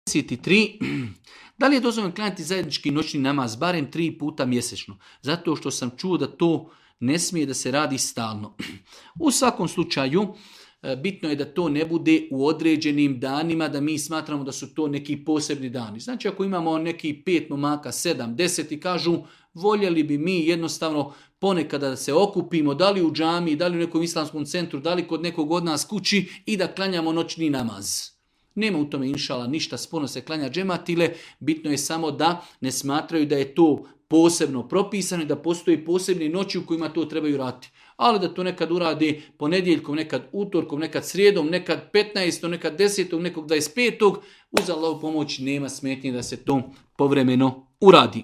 33. Da li je dozvoljeno klanjati zajednički noćni namaz barem 3 puta mjesečno? Zato što sam čuo da to ne smije da se radi stalno. U svakom slučaju, bitno je da to ne bude u određenim danima, da mi smatramo da su to neki posebni dani. Znači ako imamo neki 5 momaka, 7, 10 i kažu voljeli bi mi jednostavno ponekada da se okupimo, da li u džami, da li u nekom islamskom centru, da li kod nekog od nas kući i da klanjamo noćni namaz. Nema u tome inšala ništa sporno se klanja džematile, bitno je samo da ne smatraju da je to posebno propisano i da postoji posebne noći u kojima to trebaju raditi. Ali da to nekad uradi ponedjeljkom, nekad utorkom, nekad srijedom, nekad 15. nekad 10. nekog 25. uz Allahovu pomoć nema smetnje da se to povremeno uradi.